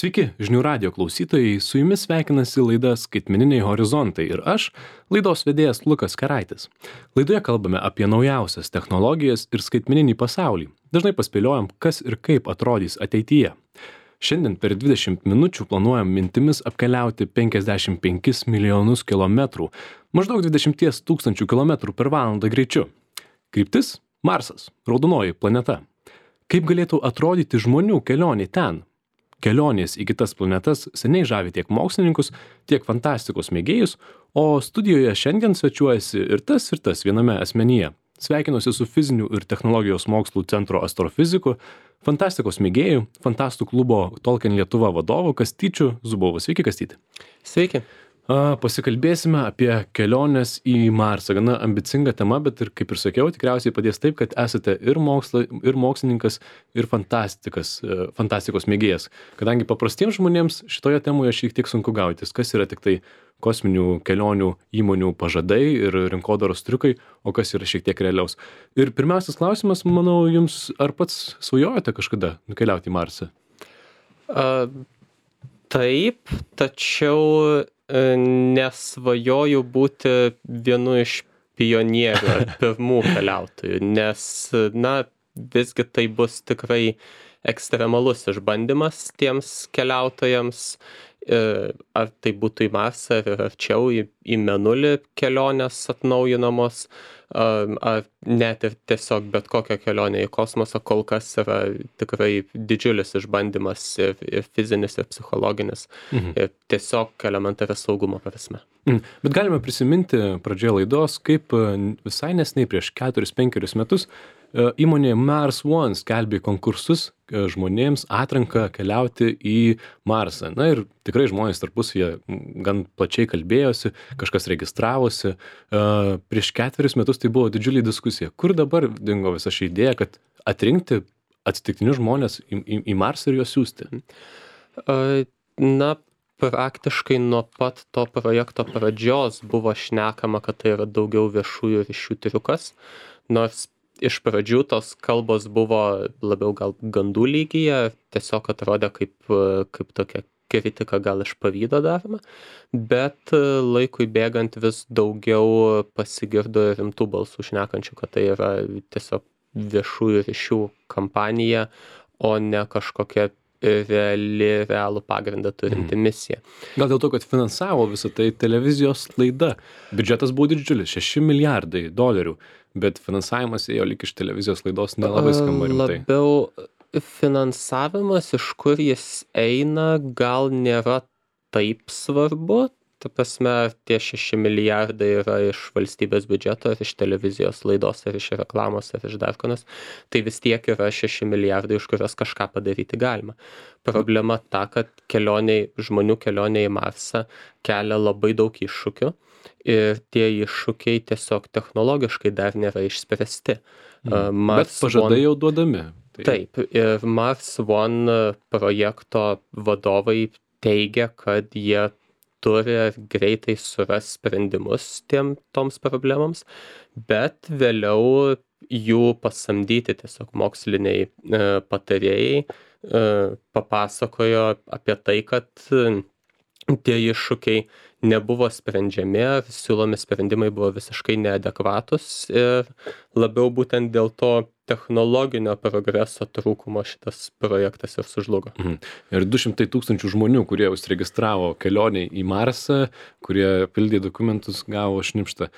Sveiki, žinių radio klausytojai, su jumis sveikinasi laida Skaitmeniniai horizontai ir aš, laidos vedėjas Lukas Keraitis. Laidoje kalbame apie naujausias technologijas ir skaitmeninį pasaulį. Dažnai paspėliojam, kas ir kaip atrodys ateityje. Šiandien per 20 minučių planuojam mintimis apkeliauti 55 milijonus kilometrų, maždaug 20 tūkstančių kilometrų per valandą greičiu. Kryptis – Marsas, raudonoji planeta. Kaip galėtų atrodyti žmonių kelionė ten? Kelionės į kitas planetas seniai žavi tiek mokslininkus, tiek fantastikos mėgėjus, o studijoje šiandien svečiuojasi ir tas viename asmenyje. Sveikinuosi su Fizinių ir technologijos mokslų centro astrofiziku, fantastikos mėgėjų, fantastų klubo Tolkien Lietuva vadovu Kastyčiu Zubovu. Sveiki, Kastyti. Sveiki. Pasikalbėsime apie keliones į Marsą. Gana ambicinga tema, bet ir, kaip ir sakiau, tikriausiai padės taip, kad esate ir mokslininkas, ir fantastikos mėgėjas. Kadangi paprastiems žmonėms šitoje temoje šiek tiek sunku gautis, kas yra tik tai kosminių kelionių įmonių pažadai ir rinkodaros triukai, o kas yra šiek tiek realiaus. Ir pirmiausias klausimas, manau, jums, ar pats svajojate kažkada nukeliauti į Marsą? Taip, tačiau nesvajoju būti vienu iš pionierių ar pirmų keliautojų, nes, visgi tai bus tikrai ekstremalus išbandymas tiems keliautojams, ar tai būtų į Marsą ar arčiau į Mėnulį kelionės atnaujinamos, ar net ir tiesiog bet kokia kelionė į kosmosą kol kas yra tikrai didžiulis išbandymas ir fizinis, ir psichologinis, ir tiesiog elementaria saugumo prasme. Bet galime prisiminti pradžioje laidos, kaip visai neseniai prieš 4-5 metus įmonė Mars One skelbė konkursus žmonėms atranką keliauti į Marsą. Na ir tikrai žmonės tarpusavyje gan plačiai kalbėjosi, kažkas registravosi. Prieš 4 metus tai buvo didžiulė diskusija. Kur dabar dingo visa ši idėja, kad atrinkti atsitiktinius žmonės į Marsą ir juos siųsti? Praktiškai nuo pat to projekto pradžios buvo šnekama, kad tai yra daugiau viešųjų ryšių triukas, nors iš pradžių tos kalbos buvo labiau gal gandų lygyje, tiesiog atrodė kaip tokia kritika gal iš pavydo daroma, bet laikui bėgant vis daugiau pasigirdo rimtų balsų šnekančių, kad tai yra tiesiog viešųjų ryšių kampanija, o ne kažkokia realų pagrindą turinti misija. Gal dėl to, kad finansavo visą tai televizijos laida. Biudžetas buvo didžiulis, $6 milijardai, bet finansavimas ėjo lyg iš televizijos laidos nelabai skamba rimtai. Labiau finansavimas, iš kur jis eina, gal nėra taip svarbu. Ta prasme, tie 6 milijardai yra iš valstybės biudžeto, ar iš televizijos laidos, ar iš reklamos, ar iš dar ko nors. Tai vis tiek yra 6 milijardai, iš kurios kažką padaryti galima. Problema ta, kad žmonių kelionė į Marsą kelia labai daug iššūkių ir tie iššūkiai tiesiog technologiškai dar nėra išspręsti. Bet pažadai jau duodami. Taip, ir Mars One projekto vadovai teigia, kad jie turi greitai suras sprendimus toms problemams, bet vėliau jų pasamdyti tiesiog moksliniai patarėjai papasakojo apie tai, kad tie iššūkiai nebuvo sprendžiami, siūlomi sprendimai buvo visiškai neadekvatus ir labiau būtent dėl to technologinio progreso trūkumo šitas projektas ir sužlugo. Ir 200 tūkstančių žmonių, kurie užsiregistravo kelionei į Marsą, kurie pildė dokumentus, gavo šnipštą.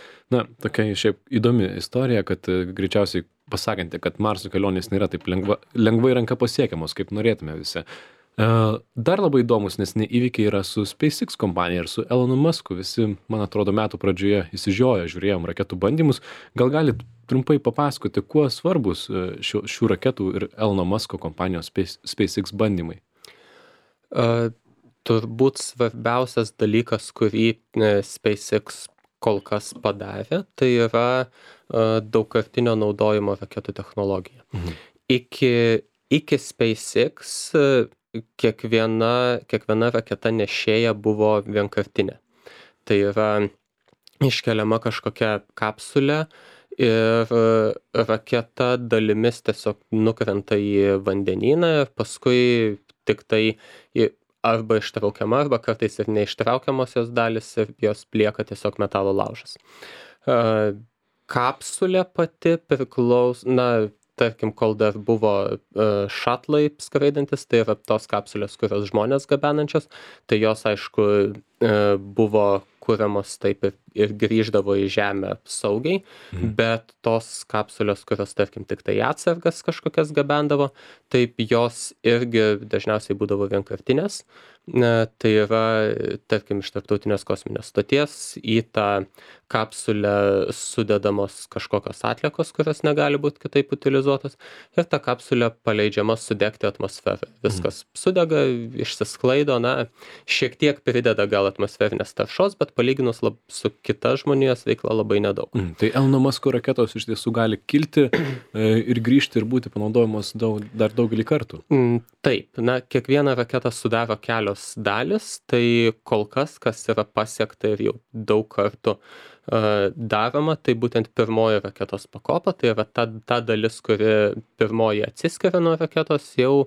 Tokia šiaip įdomi istorija, kad greičiausiai pasakanti, kad Marso kelionės nėra taip lengvai ranka pasiekiamos, kaip norėtume visi. Dar labai įdomus neseniai įvykiai yra su SpaceX kompanija ir su Elonu Musku. Visi, man atrodo, metų pradžioje įsižioję žiūrėjom raketų bandymus. Gal galit trumpai papasakoti, kuo svarbus šių raketų ir Elono Musko kompanijos SpaceX bandymai? Turbūt svarbiausias dalykas, kurį SpaceX kol kas padarė, tai yra daugkartinio naudojimo raketų technologija. Iki SpaceX kiekviena raketa nešėja buvo vienkartinė. Tai yra iškeliama kažkokia kapsulė ir raketa dalimis tiesiog nukrenta į vandenyną ir paskui tik tai arba ištraukiama, arba kartais ir neištraukiamos jos dalis ir jos lieka tiesiog metalo laužas. Kapsulė pati tarkim, kol dar buvo šatlai skraidantis, tai yra tos kapsulės, kurios žmonės gabenančios, tai jos, aišku, buvo kuriamos taip ir grįždavo į žemę saugiai, bet tos kapsulės, kurios, tarkim, tik tai atsargas kažkokias gabendavo, taip jos irgi dažniausiai būdavo vienkartinės. Tai yra, tarkim, iš Tarptautinės kosminės stoties į tą kapsulę sudedamos kažkokios atliekos, kurios negali būti kitaip utilizuotos, ir ta kapsulė paleidžiama sudegti atmosferą. Viskas sudega, išsisklaido, šiek tiek prideda gal atmosferinės taršos, bet palyginus su kita žmonijos veikla labai nedaug. Tai Elono Musko raketos iš tiesų gali kilti ir grįžti ir būti panaudojamos dar daugelį kartų. Taip, kiekvieną raketą sudaro kelios dalis, tai kol kas yra pasiekta ir jau daug kartų daroma, tai būtent pirmoji raketos pakopa, tai yra ta dalis, kuri pirmoji atsiskiria nuo raketos, jau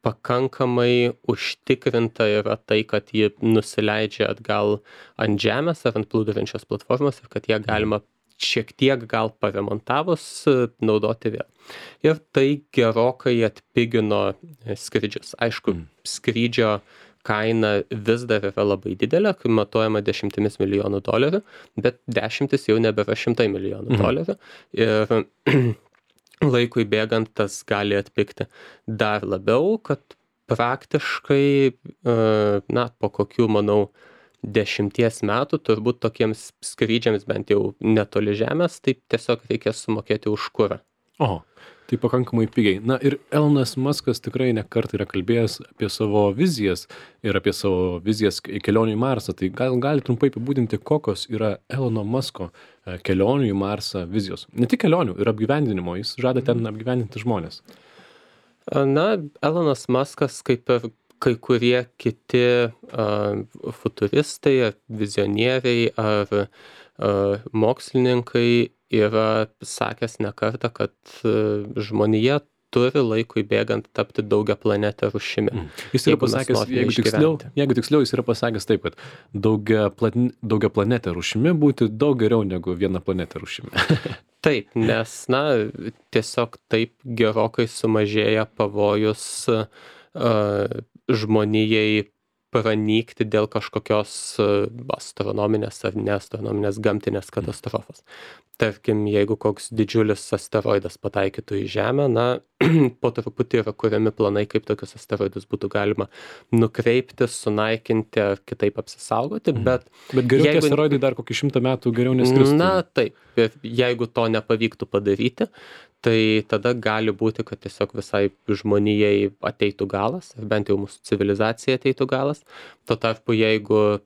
pakankamai užtikrinta yra tai, kad ji nusileidžia atgal ant žemės ar ant plūduriančios platformos ir kad ją galima šiek tiek gal paremontavus naudoti vėl. Ir tai gerokai atpigino skrydžius. Aišku, skrydžio kaina vis dar yra labai didelė, kai matuojama $10 milijonų, bet 10 jau nebėra $100 milijonų. Ir laikui bėgant tas gali atpigti dar labiau, kad praktiškai, po kokių, manau, 10 metų turbūt tokiems skrydžiams bent jau netoli žemės, tai tiesiog reikės sumokėti už kurą. Tai pakankamai pigiai. Ir Elonas Muskas tikrai ne kartą yra kalbėjęs apie savo vizijas ir apie savo vizijas kelionių į Marsą. Tai gali trumpai apibūdinti, kokios yra Elono Musko kelionių į Marsą vizijos. Ne tik kelionių, ir apgyvendinimo. Jis žada ten apgyvendinti žmonės. Elonas Muskas, kaip ir kai kurie kiti futuristai, vizionieriai ar mokslininkai yra sakęs ne kartą, kad žmonija turi laikui bėgant tapti daugiaplanetę rūšimi. Jis yra pasakęs, jeigu tiksliau, jis yra pasakęs taip, kad daugiaplanetę rūšimi būti daug geriau negu vienaplanetę rūšimi. Taip, nes, tiesiog taip gerokai sumažėja pavojus žmonijai pranykti dėl kažkokios astronominės ar neastronominės gamtinės katastrofos. Tarkim, jeigu koks didžiulis asteroidas pataikytų į Žemę, po truputį yra kuriami planai, kaip tokius asteroidus būtų galima nukreipti, sunaikinti ar kitaip apsisaugoti, bet geriau asteroidai dar kokį 100 metų geriau neskristų. Taip, ir jeigu to nepavyktų padaryti, tai tada gali būti, kad tiesiog visai žmonijai ateitų galas, ar bent jau mūsų civilizacijai ateitų galas. Tuo tarpu, jeigu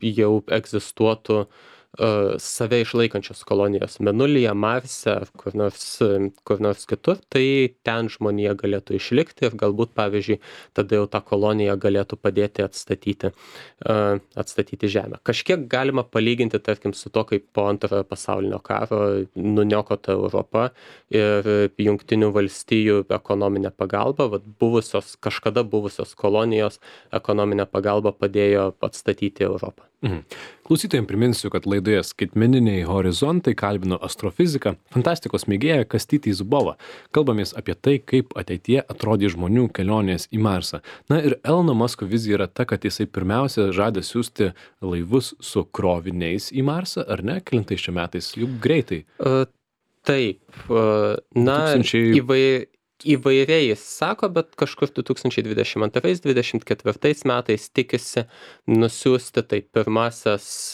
jau egzistuotų save išlaikančios kolonijos Mėnulyje, Marse ar kur nors kitur, tai ten žmonija galėtų išlikti ir galbūt, pavyzdžiui, tada jau tą koloniją galėtų padėti atstatyti Žemę. Kažkiek galima palyginti, tarkim, su to, kaip po Antrojo pasaulinio karo nuniokota Europa ir Jungtinių valstijų ekonominė pagalba, kažkada buvusios kolonijos ekonominė pagalba padėjo atstatyti Europą. Klausytojams priminsiu, kad laidoje Skaitmeniniai horizontai kalbino astrofiziką, fantastikos mėgėją Kastytį Zubovą. Kalbamės apie tai, kaip ateityje atrodys žmonių kelionės į Marsą. Ir Elono Musko vizija yra ta, kad jisai pirmiausia žada siųsti laivus su kroviniais į Marsą, ar ne? Kelintais čia metais? Juk greitai. Taip. Įvairiai jis sako, bet kažkur 2022-2024 metais tikisi nusiųsti tai pirmuosius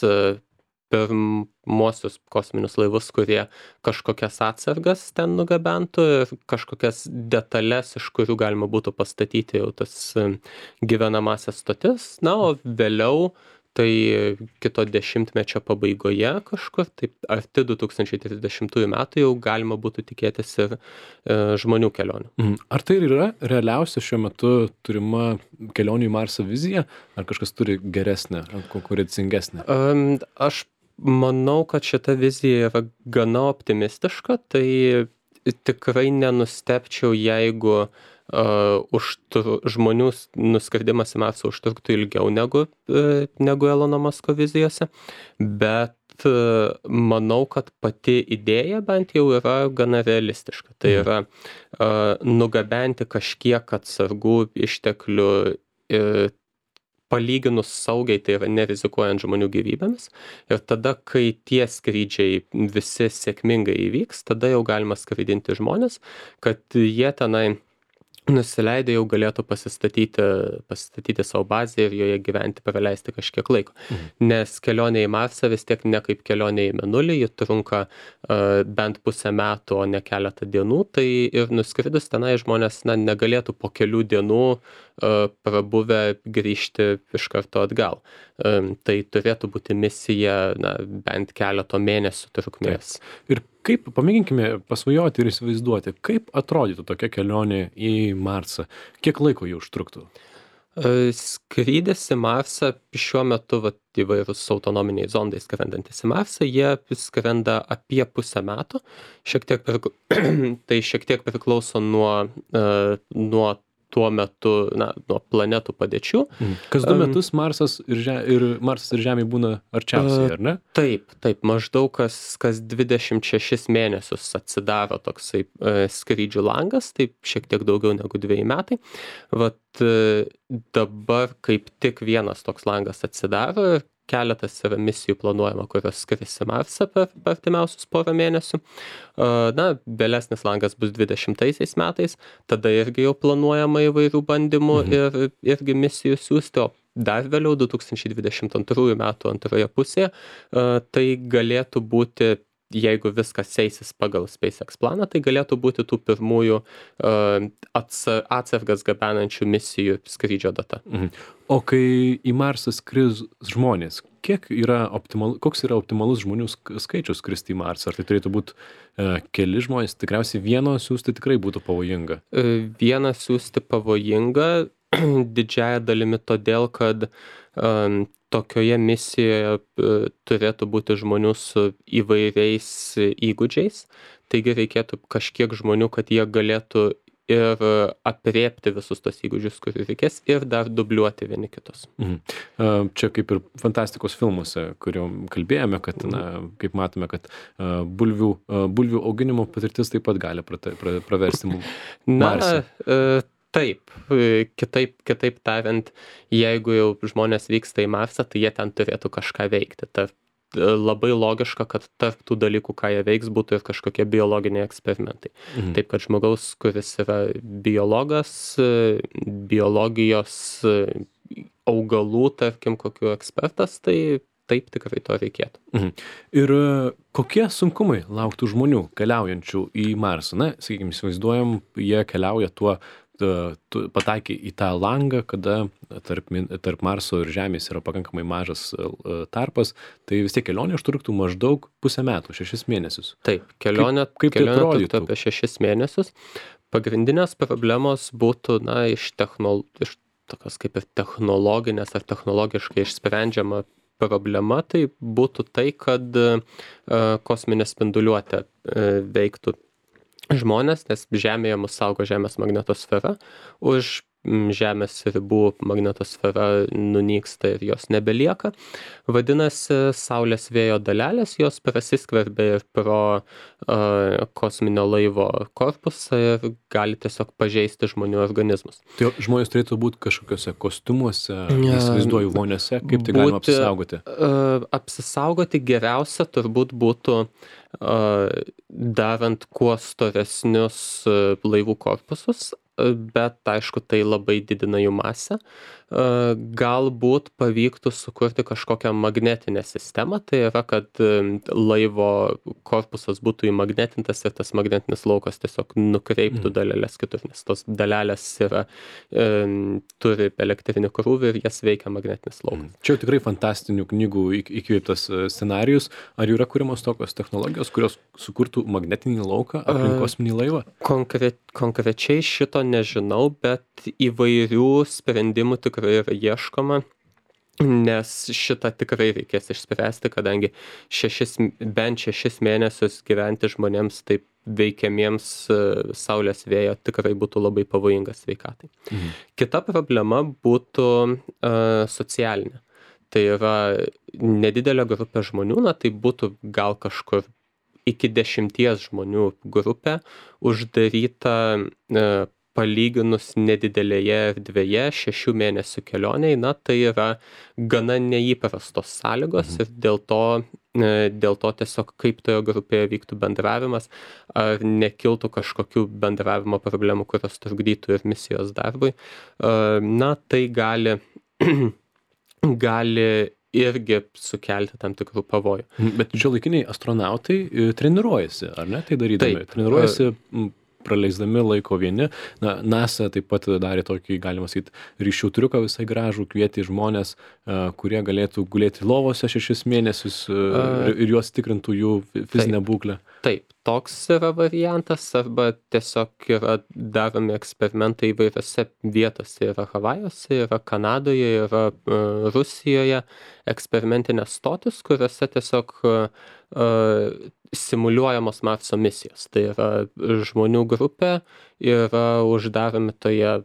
kosminius laivus, kurie kažkokias atsargas ten nugabentų ir kažkokias detalės, iš kurių galima būtų pastatyti jau tas gyvenamasias stotis. O vėliau, tai kito dešimtmečio pabaigoje kažkur, taip arti 2030 metų jau galima būtų tikėtis ir žmonių kelionių. Ar tai yra realiausia šiuo metu turima kelionių į Marsą vizija, ar kažkas turi geresnę, konkurencingesnę? Aš manau, kad šita vizija yra gana optimistiška, tai tikrai nenustebčiau, jeigu žmonių nuskridimas į Marsą užtruktų ilgiau negu Elono Musko vizijose, bet manau, kad pati idėja bent jau yra gana realistiška. Tai yra nugabenti kažkiek atsargų išteklių palyginus saugiai, tai yra nerizikuojant žmonių gyvybėmis. Ir tada, kai tie skrydžiai visi sėkmingai įvyks, tada jau galima skraidinti žmonės, kad jie tenai nusileidę jau galėtų pasistatyti savo bazę ir joje gyventi, praleisti kažkiek laiko. Nes kelionė į Marsą vis tiek ne kaip kelionė į Mėnulį, ji trunka bent pusę metų, o ne keletą dienų, tai ir nuskridus tenai žmonės negalėtų po kelių dienų prabuvę grįžti iš karto atgal. Tai turėtų būti misija bent keleto mėnesių trukmės. Ir kaip, pamėginkime pasvajoti ir įsivaizduoti, kaip atrodytų tokia kelionė į Marsą? Kiek laiko jau užtruktų? Skrydis į Marsą šiuo metu įvairūs autonominiai zondai skrendantis į Marsą, jie skrenda apie pusę metų. Tai šiek tiek priklauso nuo tuo metu, nuo planetų padėčių. Kas 2 metus Marsas ir Žemė būna arčiausiai, ar ne? Taip, maždaug kas 26 mėnesius atsidaro toksai skrydžių langas, taip šiek tiek daugiau negu 2 metai. Dabar kaip tik vienas toks langas atsidaro ir keletas yra misijų planuojama, kurios skris į Marsą per artimiausius porą mėnesių. Vėlesnis langas bus 20 metais, tada irgi jau planuojama įvairių bandymų ir irgi misijų siųsti, o dar vėliau 2022 metų antroje pusėje tai galėtų būti, jeigu viskas eisis pagal SpaceX planą, tai galėtų būti tų pirmųjų atsargas gabenančių misijų skrydžio data. O kai į Marsą skris žmonės, koks yra optimalus žmonių skaičius skristi į Marsą? Ar tai turėtų būti keli žmonės? Tikriausiai vieno siųsti tikrai būtų pavojinga. Vieną siųsti pavojinga didžiąja dalimi todėl, kad tokioje misijoje turėtų būti žmonių su įvairiais įgūdžiais, taigi reikėtų kažkiek žmonių, kad jie galėtų ir aprėpti visus tos įgūdžius, kurių reikės, ir dar dubliuoti vieni kitus. Čia kaip ir fantastikos filmuose, kuriuom kalbėjome, kad, kaip matome, kad bulvių auginimo patirtis taip pat gali praversti Marse. Taip, kitaip tariant, jeigu jau žmonės vyksta į Marsą, tai jie ten turėtų kažką veikti. Labai logiška, kad tarp tų dalykų, ką jie veiks, būtų ir kažkokie biologiniai eksperimentai. Taip, kad žmogaus, kuris yra biologas, biologijos augalų, tarkim, kokių ekspertas, tai taip tikrai to reikėtų. Ir kokie sunkumai lauktų žmonių keliaujančių į Marsą? Sakykime, įsivaizduojam, jie keliauja tu pataikai į tą langą, kada tarp Marso ir Žemės yra pakankamai mažas tarpas, tai vis tiek kelionė užtruktų maždaug pusę metų, 6 mėnesius. Taip, kelionė truktų apie 6 mėnesius. Pagrindinės problemos būtų, iš tokios kaip ir technologinės ar technologiškai išsprendžiama problema, tai būtų tai, kad kosminė spinduliuotė veiktų žmonės, nes Žemėje mus saugo Žemės magnetosfera. Už Žemės ribų magnetosfera nunyksta ir jos nebelieka. Vadinasi, Saulės vėjo dalelės, jos prasiskverbia ir pro kosminio laivo korpusą ir gali tiesiog pažeisti žmonių organizmus. Tai žmonės turėtų būti kažkokiuose kostiumuose, įsivaizduoju, voniose, kaip tai galima apsisaugoti? Apsisaugoti geriausia turbūt būtų darant kuo storesnius laivų korpusus, bet aišku, tai labai didina jų masę. Galbūt pavyktų sukurti kažkokią magnetinę sistemą, tai yra, kad laivo korpusas būtų įmagnetintas ir tas magnetinis laukas tiesiog nukreiptų dalelės kitur, nes tos dalelės turi elektrinį krūvį ir jas veikia magnetinis laukas. Čia tikrai fantastinių knygų įkvėptas scenarijus. Ar yra kuriamos tokios technologijos, kurios sukurtų magnetinį lauką aplink kosminį laivą? Konkrečiai šito nežinau, bet įvairių sprendimų tikrai yra ieškoma. nes šitą tikrai reikės išspręsti, kadangi bent 6 mėnesius gyventi žmonėms taip veikiamiems saulės vėjo tikrai būtų labai pavojinga sveikatai. Kita problema būtų socialinė. Tai yra nedidelė grupė žmonių, tai būtų gal kažkur iki 10 žmonių grupė uždaryta palyginus nedidelėje erdvėje 6 mėnesių kelioniai, tai yra gana neįprastos sąlygos ir dėl to tiesiog kaip toje grupėje vyktų bendravimas, ar nekiltų kažkokių bendravimo problemų, kurios trukdytų ir misijos darbui, tai gali irgi sukelti tam tikrų pavojų. Bet šiuolaikiniai astronautai treniruojasi, ar ne, tai darydami? Taip. Treniruojasi praleisdami laiko vieni. NASA taip pat darė tokį, galima sakyti, ryšių triuką visai gražų, kvietė žmonės, kurie galėtų gulėti lovose 6 mėnesius ir juos tikrintų jų fizinę būklę. Taip, toks yra variantas, arba tiesiog yra daromi eksperimentai įvairiose vietose. Yra Havajuose, yra Kanadoje, yra Rusijoje eksperimentinės stotis, kuriuose tiesiog simuliuojamos Marso misijos. Tai yra žmonių grupė, yra uždaromi toje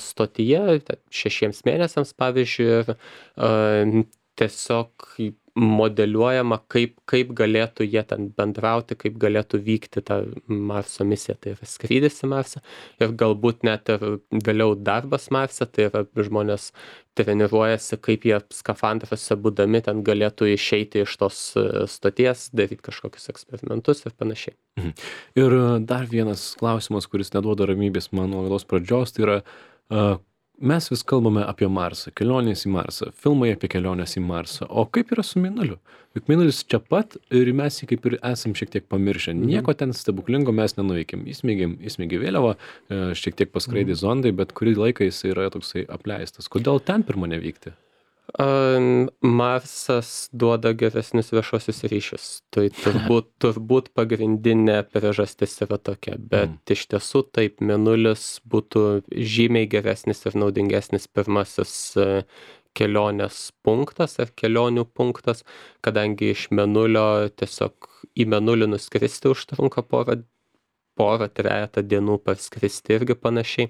stotyje 6 mėnesiams, pavyzdžiui, ir tiesiog modeliuojama, kaip galėtų jie ten bendrauti, kaip galėtų vykti ta Marso misija, tai yra skrydis į Marsą ir galbūt net ir vėliau darbas Marse, tai yra žmonės treniruojasi, kaip jie skafandruose būdami ten galėtų išeiti iš tos stoties, daryti kažkokius eksperimentus ir panašiai. Ir dar vienas klausimas, kuris neduoda ramybės mano laidos pradžios, tai yra mes vis kalbame apie Marsą, kelionės į Marsą, filmai apie kelionės į Marsą, o kaip yra su Mėnuliu? Juk Mėnulis čia pat ir mes jį kaip ir esam šiek tiek pamiršę, nieko ten stebuklingo mes nenuveikėm, įsmeigė vėliavą, šiek tiek paskraidė zondai, bet kurį laiką jis yra toksai apleistas. Kodėl ten pirma nevykti? Marsas duoda geresnius viešuosius ryšius. Tai turbūt pagrindinė priežastis yra tokia, bet iš tiesų taip, Mėnulis būtų žymiai geresnis ir naudingesnis pirmasis kelionės punktas ar kelionių punktas, kadangi iš Mėnulio tiesiog į Mėnulį nuskristi užtrunka porą-trejetą dienų parskristi irgi panašiai.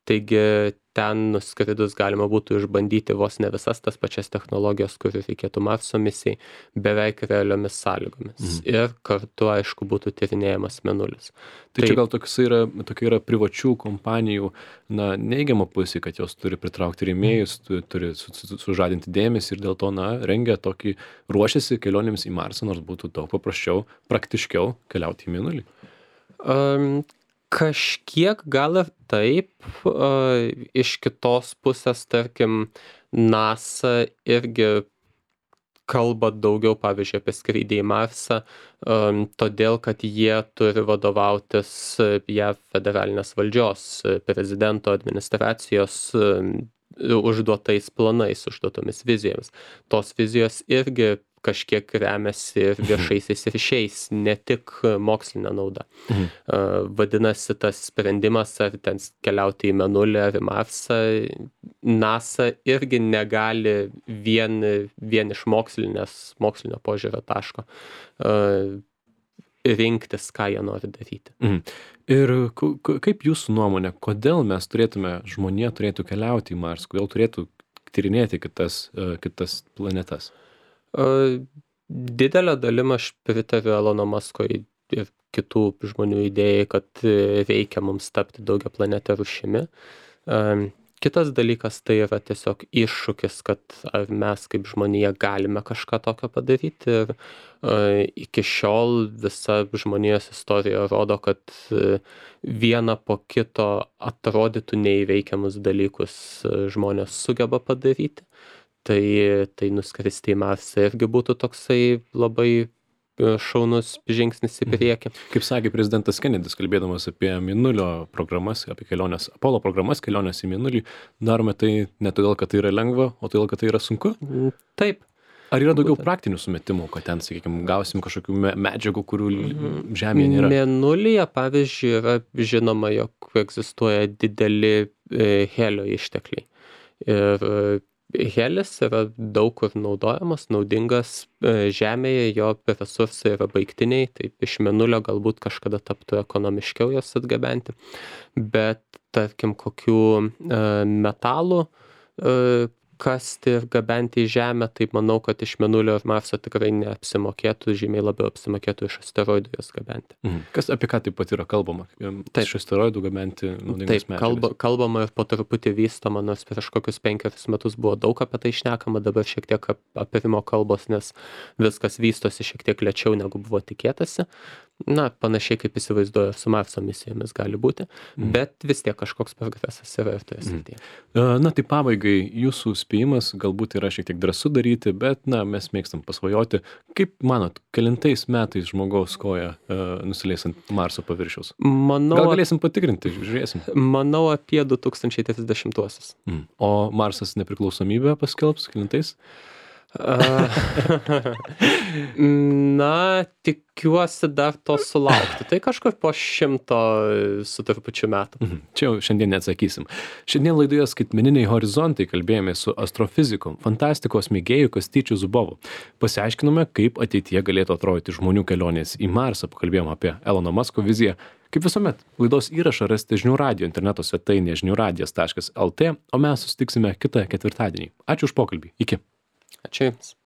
Taigi ten nuskridus galima būtų išbandyti vos ne visas tas pačias technologijas, kurių reikėtų Marso misijai, beveik realiomis sąlygomis. Ir kartu, aišku, būtų tyrinėjamas Mėnulis. Tai čia gal tokia yra privačių kompanijų neigiama pusė, kad jos turi pritraukti rėmėjus, turi sužadinti dėmesį ir dėl to rengia tokį, ruošiasi kelionėms į Marsą, nors būtų daug paprasčiau, praktiškiau keliauti į Mėnulį. Kažkiek gal ir taip, iš kitos pusės, tarkim, NASA irgi kalba daugiau, pavyzdžiui, apie skrydį į Marsą, todėl, kad jie turi vadovautis JAV federalinės valdžios, prezidento administracijos užduotais planais, užduotomis vizijomis. Tos vizijos irgi kažkiek remiasi ir viešaisiais ryšiais, ne tik mokslinė nauda. Vadinasi, tas sprendimas, ar ten keliauti į Mėnulį ar į Marsą, NASA irgi negali vien iš mokslinio požiūrio taško rinktis, ką jie nori daryti. Ir kaip jūsų nuomonė, kodėl mes žmonija turėtų keliauti į Marsą, kodėl turėtų tyrinėti kitas planetas? Didelę dalim aš pritariu Elono Musko ir kitų žmonių idėjai, kad reikia mums tapti daugiaplanete rūšimi. Kitas dalykas tai yra tiesiog iššūkis, kad ar mes kaip žmonija galime kažką tokio padaryti. Ir iki šiol visa žmonijos istorija rodo, kad vieną po kito atrodytų neįveikiamus dalykus žmonės sugeba padaryti. Tai nuskristi į Marsą irgi būtų toksai labai šaunus žingsnis į priekį. Kaip sakė prezidentas Kennedys, kalbėdamas apie Mėnulio programas, apie kelionės, Apollo programas, kelionės į Mėnulį, darome tai ne todėl, kad tai yra lengva, o todėl, kad tai yra sunku? Taip. Ar yra daugiau praktinių sumetimų, kad ten, sakykime, gausim kažkokių medžiagų, kurių Žemėje nėra? Mėnulyje, pavyzdžiui, yra žinoma, jog egzistuoja dideli helio ištekliai. Ir Helis yra daug kur naudojamas, naudingas Žemėje, jo resursai yra baigtiniai, taip iš Mėnulio galbūt kažkada taptų ekonomiškiau juos atgabenti, bet tarkim kokių metalų kasti ir gabenti į Žemę, tai manau, kad iš Mėnulio ir Marso tikrai neapsimokėtų, žymiai labiau apsimokėtų iš asteroidų jas gabenti. Kas apie ką taip pat yra kalbama? Taip. Iš asteroidų gabenti naudingas medžiagas. Kalbama ir po truputį vystoma, nors prieš kokius 5 metus buvo daug apie tai šnekama, dabar šiek tiek apirimo kalbos, nes viskas vystosi šiek tiek lėčiau, negu buvo tikėtasi. Na, panašiai kaip įsivaizduoju, su Marso misijomis gali būti, bet vis tiek kažkoks progresas yra ir toje srityje. Na, tai pabaigai, jūsų spėjimas galbūt yra šiek tiek drąsu daryti, bet, na, mes mėgstam pasvajoti. Kaip manot, kelintais metais žmogaus koja nusileis ant Marso paviršiaus? Gal galėsim patikrinti, žiūrėsim. Manau apie 2030-uosius. O Marsas nepriklausomybę paskelbs kelintais? Na, tikiuosi dar to sulaukti. Tai kažkur po 100 su trupučiu metų. Čia jau šiandien neatsakysim. Šiandien laidoje Skaitmeniniai horizontai kalbėjome su astrofiziku, fantastikos mėgėju Kastyčiu Zubovu. Pasiaiškinome, kaip ateityje galėtų atrodyti žmonių kelionės į Marsą. Pakalbėjome apie Elono Musko viziją. Kaip visuomet, laidos įrašą rasite Žinių radijo interneto svetainėje žiniųradijas.lt, o mes susitiksime kitą ketvirtadienį. Ačiū už pokalbį. Iki. Ačiū Jums.